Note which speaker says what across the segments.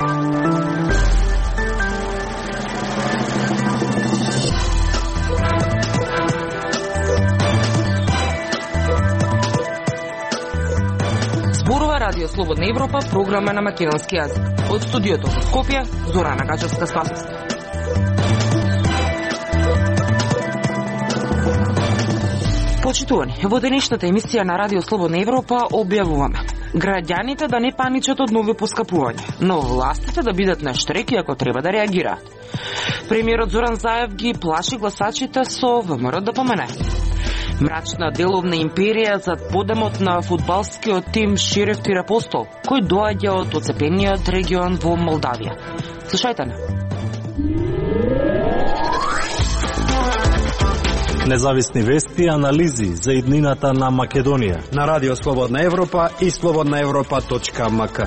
Speaker 1: Радио Слободна Европа, програма на македонски јазик. Од студиото во Скопје, Зорана Гачевска-Спасовска. Почитувани, во денешната емисија на Радио Слободна Европа објавуваме граѓаните да не паничат од нови поскапувања, но властите да бидат на штреки ако треба да реагираат. Премиерот Зоран Заев ги плаши гласачите со ВМРО ДПМН. Мрачна деловна империја за подемот на фудбалскиот тим Шериф Тирапостол, кој доаѓа од оцепениот регион во Молдавија. Слушајте не.
Speaker 2: Независни вести и анализи за иднината на Македонија
Speaker 3: на Радио Слободна Европа и slobodnaevropa.mk.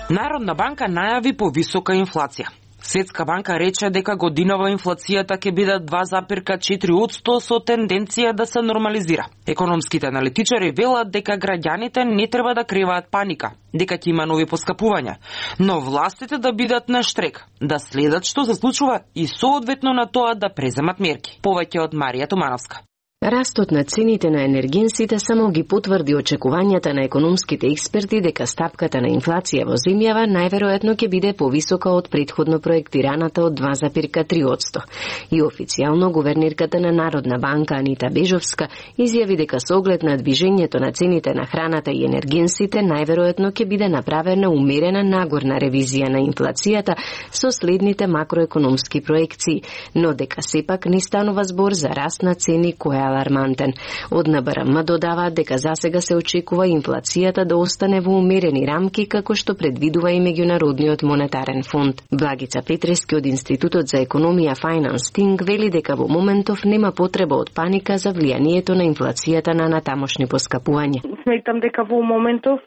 Speaker 1: Народна банка најави повисока инфлација. Светска банка рече дека годинава инфлацијата ќе биде 2,4% со тенденција да се нормализира. Економските аналитичари велат дека граѓаните не треба да креваат паника, дека ќе има нови поскапувања, но властите да бидат на штрек, да следат што се случува и соодветно на тоа да преземат мерки. Повеќе од Марија Тумановска.
Speaker 4: Растот на цените на енергенсите само ги потврди очекувањата на економските експерти дека стапката на инфлација во земјава најверојатно ќе биде повисока од претходно проектираната од 2,3%. И официјално гувернерката на Народна банка Анита Бежовска изјави дека со оглед на движењето на цените на храната и енергенсите најверојатно ќе биде направена умерена нагорна ревизија на инфлацијата со следните макроекономски проекции, но дека сепак не станува збор за раст на цени која алармантен. Од НБРМ додаваат дека засега се очекува инфлацијата да остане во умерени рамки како што предвидува и Меѓународниот монетарен фонд. Благица Петрески од Институтот за економија Finance Think вели дека во моментов нема потреба од паника за влијанието на инфлацијата на натамошни поскапувања.
Speaker 5: Сметам дека во моментов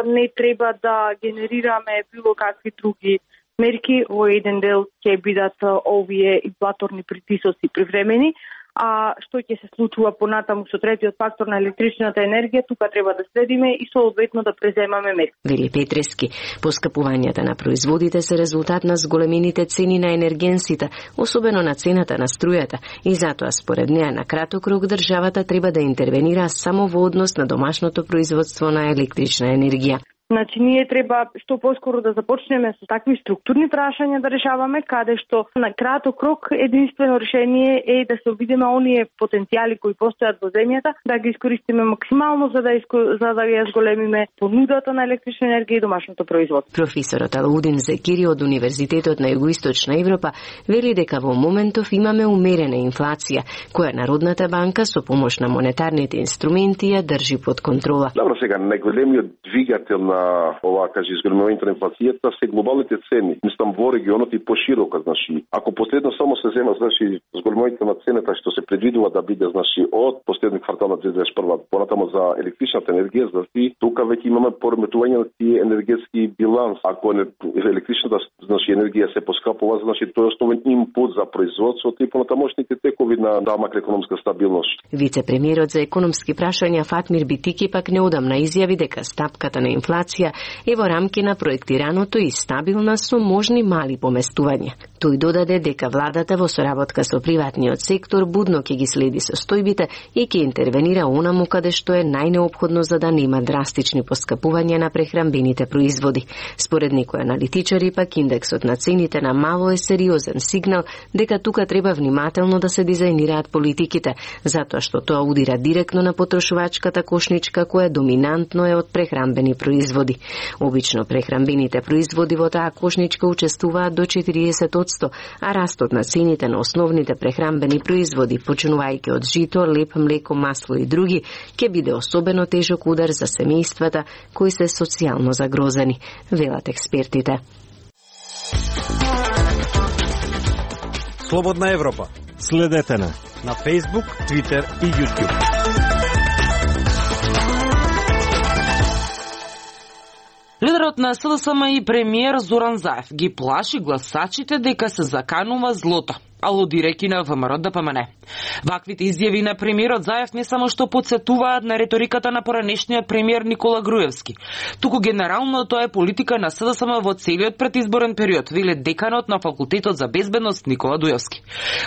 Speaker 5: не треба да генерираме било какви други мерки, во еден дел ќе бидат овие инфлаторни притисоци привремени, а што ќе се случува понатаму со третиот фактор на електричната енергија, тука треба да следиме и соодветно да преземаме мерки.
Speaker 4: Вели Петрески, поскапувањата на производите се резултат на зголемените цени на енергенсите, особено на цената на струјата, и затоа според неа на краток рок државата треба да интервенира само во однос на домашното производство на електрична енергија.
Speaker 5: Значи, ние треба што поскоро да започнеме со такви структурни прашања да решаваме, каде што на краток рок единствено решение е да се обидеме оние потенцијали кои постојат во земјата, да ги искористиме максимално за да ја зголемиме понудата на електрична енергија и домашното производство.
Speaker 4: Професорот Алаудин Зекири од Универзитетот на Југоисточна Европа вели дека во моментов имаме умерена инфлација, која Народната банка со помош на монетарните инструменти ја држи под контрола.
Speaker 6: Добро, сега најголемиот двигател на изголемувањето на инфлацијата се глобалните цени. Мислам во регионот и пошироко, значи. Ако последно само се зема, значи, изголемувањето на цената што се предвидува да биде, значи, од последниот квартал на 2021, понатамо за електричната енергија, значи, тука веќе имаме пореметување на тие енергетски биланс. Ако електричната, значи, енергија се поскапува, значи, тоа е основен импут за производството и понатамошните текови на макроекономска стабилност.
Speaker 4: Вице-премиерот за економски прашања Фатмир Битики пак неодамна изјави дека стапката на инфлација е во рамки на проектираното и стабилна со можни мали поместувања. Тој додаде дека владата во соработка со приватниот сектор будно ќе ги следи состојбите и ќе интервенира онаму каде што е најнеопходно за да нема драстични поскапувања на прехранбените производи. Според некои аналитичари пак индексот на цените на мало е сериозен сигнал дека тука треба внимателно да се дизајнираат политиките, затоа што тоа удира директно на потрошувачката кошничка која доминантно е од прехранбени производи. Обично прехранбените производи во таа кошничка учествуваат до 40%, а растот на цените на основните прехранбени производи, почнувајќи од жито, леп, млеко, масло и други, ќе биде особено тежок удар за семејствата кои се социјално загрозени, велат експертите.
Speaker 3: Слободна Европа.
Speaker 2: Следете на
Speaker 3: Facebook, Twitter и YouTube.
Speaker 1: Лидерот на СДСМ и премиер Зоран Заев ги плаши гласачите дека се заканува злото. алудирајќи на ВМРО-ДПМН. Ваквите изјави на премиерот Заев не само што потсетуваат на реториката на поранешниот премиер Никола Груевски, туку генерално тоа е политика на СДСМ во целиот предизборен период, веле деканот на факултетот за безбедност Никола Дујовски.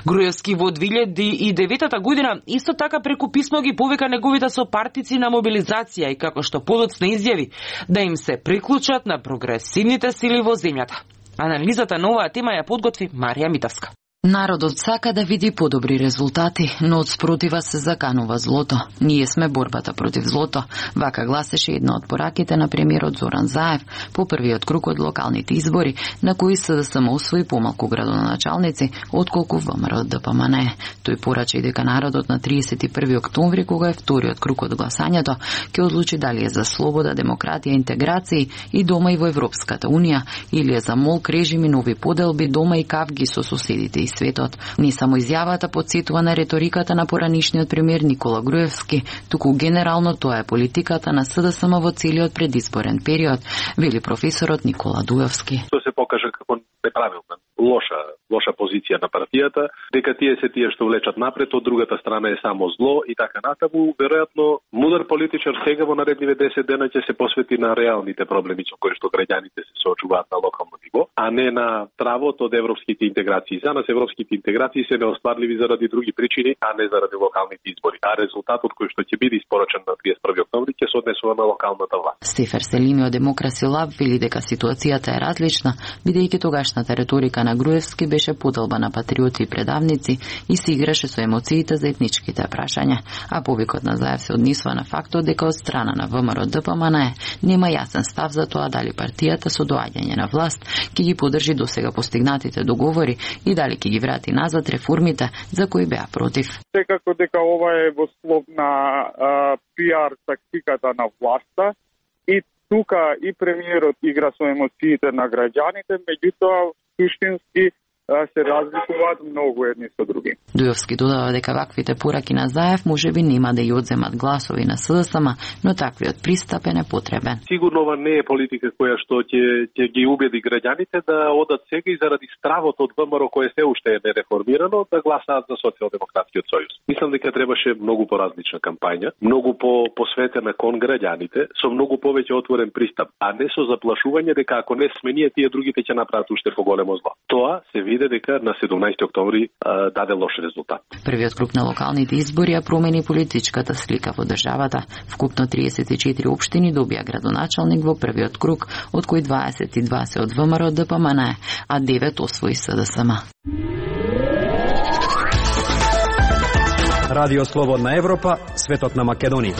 Speaker 1: Груевски во 2009 година исто така преку писмо ги повика неговите сопартици на мобилизација и како што подоцна изјави да им се приклучат на прогресивните сили во земјата. Анализата на оваа тема ја подготви Марија Митовска.
Speaker 7: Народот сака да види подобри резултати, но од спротива се заканува злото. Ние сме борбата против злото. Вака гласеше една од пораките на премиерот Зоран Заев по првиот круг од локалните избори, на кои СДСМ освои помалку градоначалници, отколку ВМРО-ДПМН. Тој порача и дека народот на 31 октомври, кога е вториот круг од гласањето, ќе одлучи дали е за слобода, демократија, интеграција и дома и во Европската Унија, или е за молк, режими, нови поделби, дома и кавги со соседите и светот. Не само изјавата потсетува на реториката на поранишниот премиер Никола Груевски, туку генерално тоа е политиката на СДСМ во целиот предизборен период, вели професорот Никола Дујовски.
Speaker 8: Тоа се покажа како неправилна, лоша позиција на партијата, дека тие што влечат напред, од другата страна е само зло и така натаму. Веројатно мудар политичар сега во наредниве 10 дена ќе се посвети на реалните проблеми со кои што граѓаните се соочуваат на локално ниво, а не на травот од европските интеграции. За нас европските интеграции се неостварливи заради други причини, а не заради локалните избори. А резултатот кој што ќе биде испорачен на 31 октомври ќе се однесува на локалната власт.
Speaker 7: Стефер Селими од Демокраси Лаб вели дека ситуацијата е различна, бидејќи тогашната реторика на Груевски беше поделба на патриоти и предавници и се играше со емоциите за етничките прашања, а повикот на Заев се однесува на фактот дека од страна на ВМРО-ДПМН нема јасен став за тоа дали партијата со доаѓање на власт ќе ги поддржи досега постигнатите договори и дали ќе ги врати назад реформите за кои беа против.
Speaker 9: Секако дека ова е во слов на пиар тактиката на власта и тука и премиерот игра со емоциите на граѓаните, меѓутоа суштински се разликуваат многу едни со други.
Speaker 7: Дујовски додава дека ваквите пораки на Заев можеби нема да ја одземат гласови на СДСМ, но таквиот пристап е непотребен.
Speaker 8: Сигурно ова не е политика која што ќе ги убеди граѓаните да одат сега и заради стравот од ВМРО кое се уште е нереформирано да гласаат за Социјалдемократскиот сојуз. Мислам дека требаше многу поразлична кампања, многу посветена кон граѓаните, со многу повеќе отворен пристап, а не со заплашување дека ако не сме тие другите ќе направат уште поголемо зло. Тоа се види дека на 17 октомври даде лош резултат.
Speaker 7: Првиот круг на локалните избори ја промени политичката слика во државата. Вкупно 34 општини добија градоначалник во првиот круг, од кои 22 се од ВМРО-ДПМН, а 9 освои СДСМ.
Speaker 3: Радио Слободна Европа, светот на Македонија.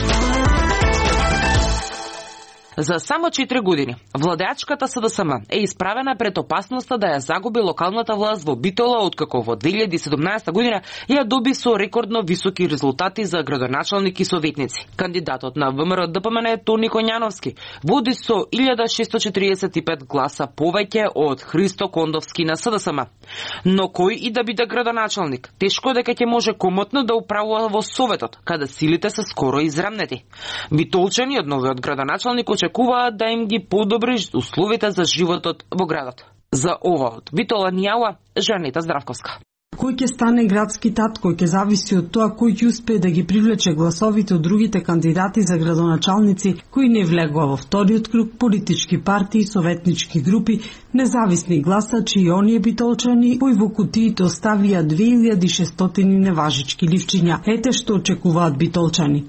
Speaker 1: За само 4 години, владеачката СДСМ е исправена пред опасноста да ја загуби локалната власт во Битола, откако во 2017 година ја доби со рекордно високи резултати за градоначалник и советници. Кандидатот на ВМРО-ДПМН Тони Коњановски води со 1645 гласа повеќе од Христо Кондовски на СДСМ. Но кој и да биде градоначалник, тешко дека ќе може комотно да управува во Советот, каде силите се скоро израмнети. Битолчани од новиот градоначалник очекуваат да им ги подобри условите за животот во градот. За ова од Битола ни јава Жанета Здравковска.
Speaker 10: Кој ќе стане градски татко ќе зависи од тоа кој ќе успее да ги привлече гласовите од другите кандидати за градоначалници кои не влегува во вториот круг, политички партии, советнички групи, независни гласачи и оние битолчани кои во кутиите оставија 2600 неважички ливчиња. Ете што очекуваат битолчани.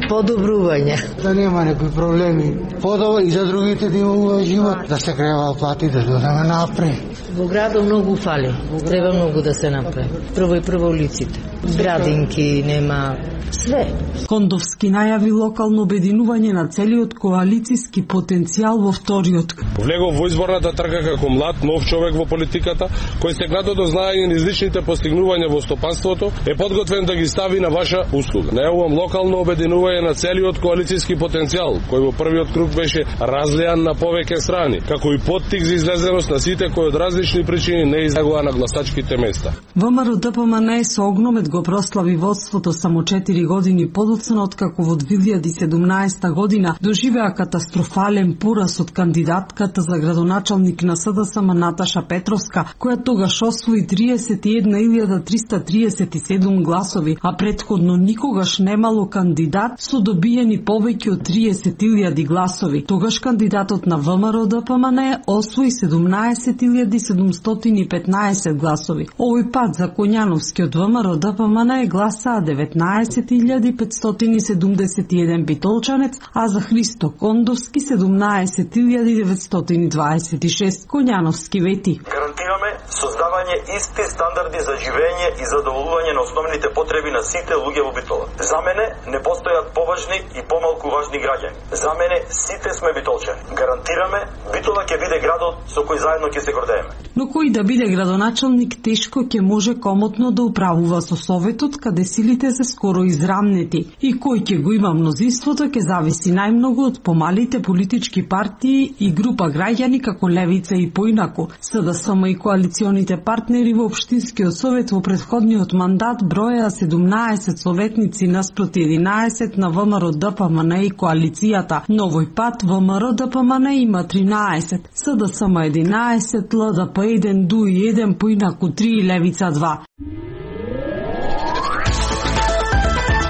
Speaker 11: Подобрување.
Speaker 12: Да нема некои проблеми. Подобро и за другите да има живот, да се крева плати, да додаме напред.
Speaker 11: Во градот многу фали. Треба многу да се направи. Прво улиците. Градинки нема све.
Speaker 10: Кондовски најави локално обединување на целиот коалициски потенцијал во вториот.
Speaker 13: Влегов во изборната трка како млад, нов човек во политиката, кој се градото знае различните постигнувања во стопанството, е подготвен да ги стави на ваша услуга. Најавувам локално обединување обединување на целиот коалицијски потенцијал, кој во првиот круг беше разлеан на повеќе страни, како и поттик за излезеност на сите кои од различни причини не излегува на гласачките места.
Speaker 10: ВМРО ДПМН со огромет го прослави водството само 4 години подоцна, откако во 2017 година доживеа катастрофален пораз од кандидатката за градоначалник на СДСМ Наташа Петровска, која тогаш освои 31.337 гласови, а претходно никогаш немало кандидат со добиени повеќе од 30.000 гласови. Тогаш кандидатот на ВМРО ДПМН освои 17.715 гласови. Овој пат за Коњановски од ВМРО ДПМН гласаа 19.571 битолчанец, а за Христо Кондовски 17.926. Коњановски вети:
Speaker 14: гарантираме создавање исти стандарди за живење и задоволување на основните потреби на сите луѓе во Битола. За мене не постојат поважни и помалку важни граѓани. За мене сите сме битолчани. Гарантираме Битола ќе биде градот со кој заедно ќе се гордееме.
Speaker 10: Но кој да биде градоначалник тешко ќе може комотно да управува со Советот, каде силите се скоро израмнети, и кој ќе го има мнозинството ќе зависи најмногу од помалите политички партии и група граѓани како Левица и поинаку. СДСМ и коалиционите партнери во Општинскиот совет во претходниот мандат броја 17 советници наспроти 11 на ВМРО ДПМН и коалицијата. Но овој пат ВМРО ДПМН има 13, СДСМ 11, ЛДП 1, ДУИ 1, поинаку 3 и Левица 2.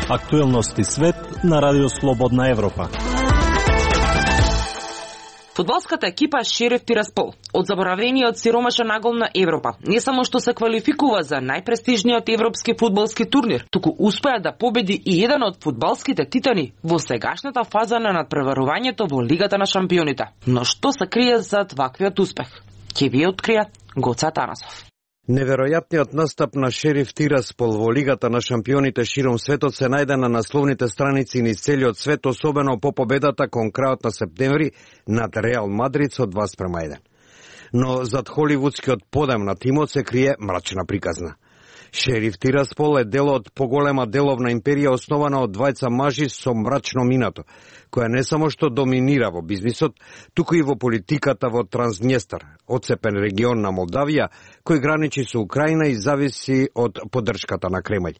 Speaker 2: Актуелности свет на Радио Слободна Европа.
Speaker 1: Фудбалската екипа Шериф Тираспол од заборавениот сиромашен нагол на Европа не само што се квалификува за најпрестижниот европски фудбалски турнир, туку успеа да победи и еден од фудбалските титани во сегашната фаза на надпреварувањето во Лигата на шампионите. Но што се крие зад ваквиот успех? Ќе ви открија Гоца Танасов.
Speaker 3: Неверојатниот настап на Шериф Тираспол во Лигата на шампионите широм светот се најде на насловните страници низ целиот свет, особено по победата кон крајот на септември над Реал Мадрид со 2:1. Но зад холивудскиот подем на тимот се крие мрачна приказна. Шериф Тираспол е дел од поголема деловна империја основана од двајца мажи со мрачно минато, која не само што доминира во бизнисот, туку и во политиката во Транснестар, одцепен регион на Молдавија, кој граничи со Украина и зависи од поддршката на Кремљ.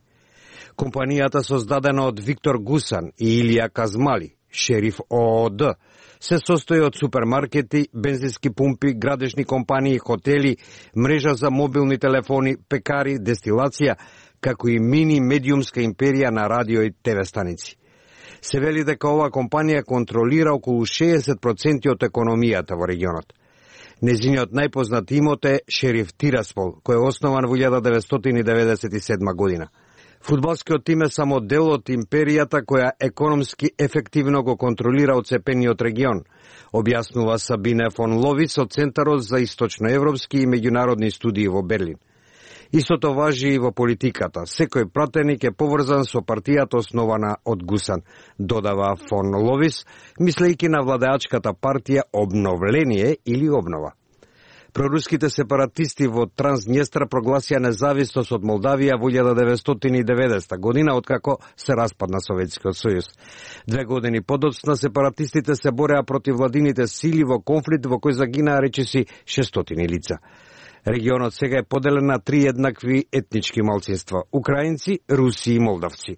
Speaker 3: Компанијата создадена од Виктор Гусан и Илија Казмали, Шериф ООД, се состои од супермаркети, бензински пумпи, градежни компании, хотели, мрежа за мобилни телефони, пекари, дестилација, како и мини-медиумска империја на радио и ТВ станици. Се вели дека оваа компанија контролира околу 60% од економијата во регионот. Незиниот најпознат имот е Шериф Тираспол, кој е основан во 1997 година. Фудбалскиот тим е само дел од империјата која економски ефективно го контролира оцепениот регион, објаснува Сабине фон Ловис од Центарот за источноевропски и меѓународни студии во Берлин. Истото важи и во политиката. Секој пратеник е поврзан со партијата основана од Гусан, додава фон Ловис, мислејќи на владеачката партија Обновление или Обнова. Проруските сепаратисти во Транснестар прогласија независност од Молдавија во 1990 година, откако се распадна Советскиот сојуз. 2 години подоцна сепаратистите се бореа против владините сили во конфликт во кој загинаа речиси 600 лица. Регионот сега е поделен на 3 еднакви етнички малцинства – украинци, руси и молдавци.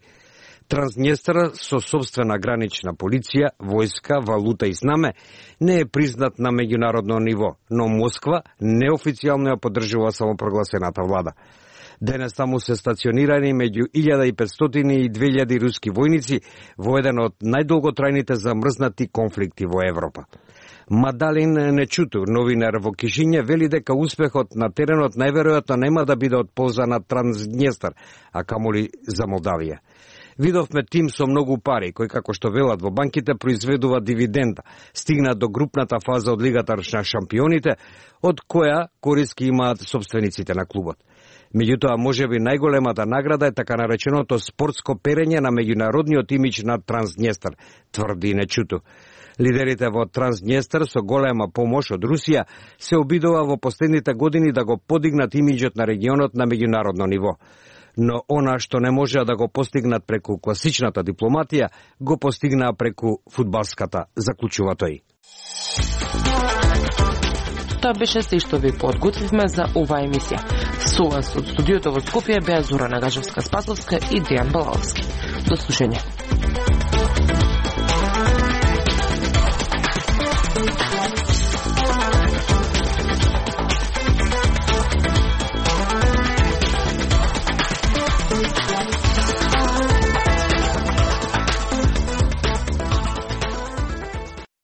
Speaker 3: Транснестар со собствена гранична полиција, војска, валута и знаме не е признат на меѓународно ниво, но Москва неофицијално ја поддржува самопрогласената влада. Денес таму се стационирани меѓу 1500 и 2000 руски војници во еден од најдолготрајните замрзнати конфликти во Европа. Мадалин Нечуту, новинар во Кишиња, вели дека успехот на теренот најверојатно нема да биде од полза на Транснестар, а камоли за Молдавија. Видовме тим со многу пари, кој, како што велат во банките, произведува дивиденда, стигна до групната фаза од Лигата на шампионите, од која кориски имаат собствениците на клубот. Меѓутоа, можеби најголемата награда е така нареченото спортско перење на меѓународниот имидж на Транснестар, тврди Нечуту. Лидерите во Транснестар со голема помош од Русија се обидува во последните години да го подигнат имиджот на регионот на меѓународно ниво. но она што не можеа да го постигнат преку класичната дипломатија, го постигнаа преку фудбалската, заклучува тој.
Speaker 1: Тоа беше се што ви подготвивме за оваа емисија. Со вас од студиото во Скопје беа Зора Нагажевска-Спасовска и Дејан Балаловски. До слушање.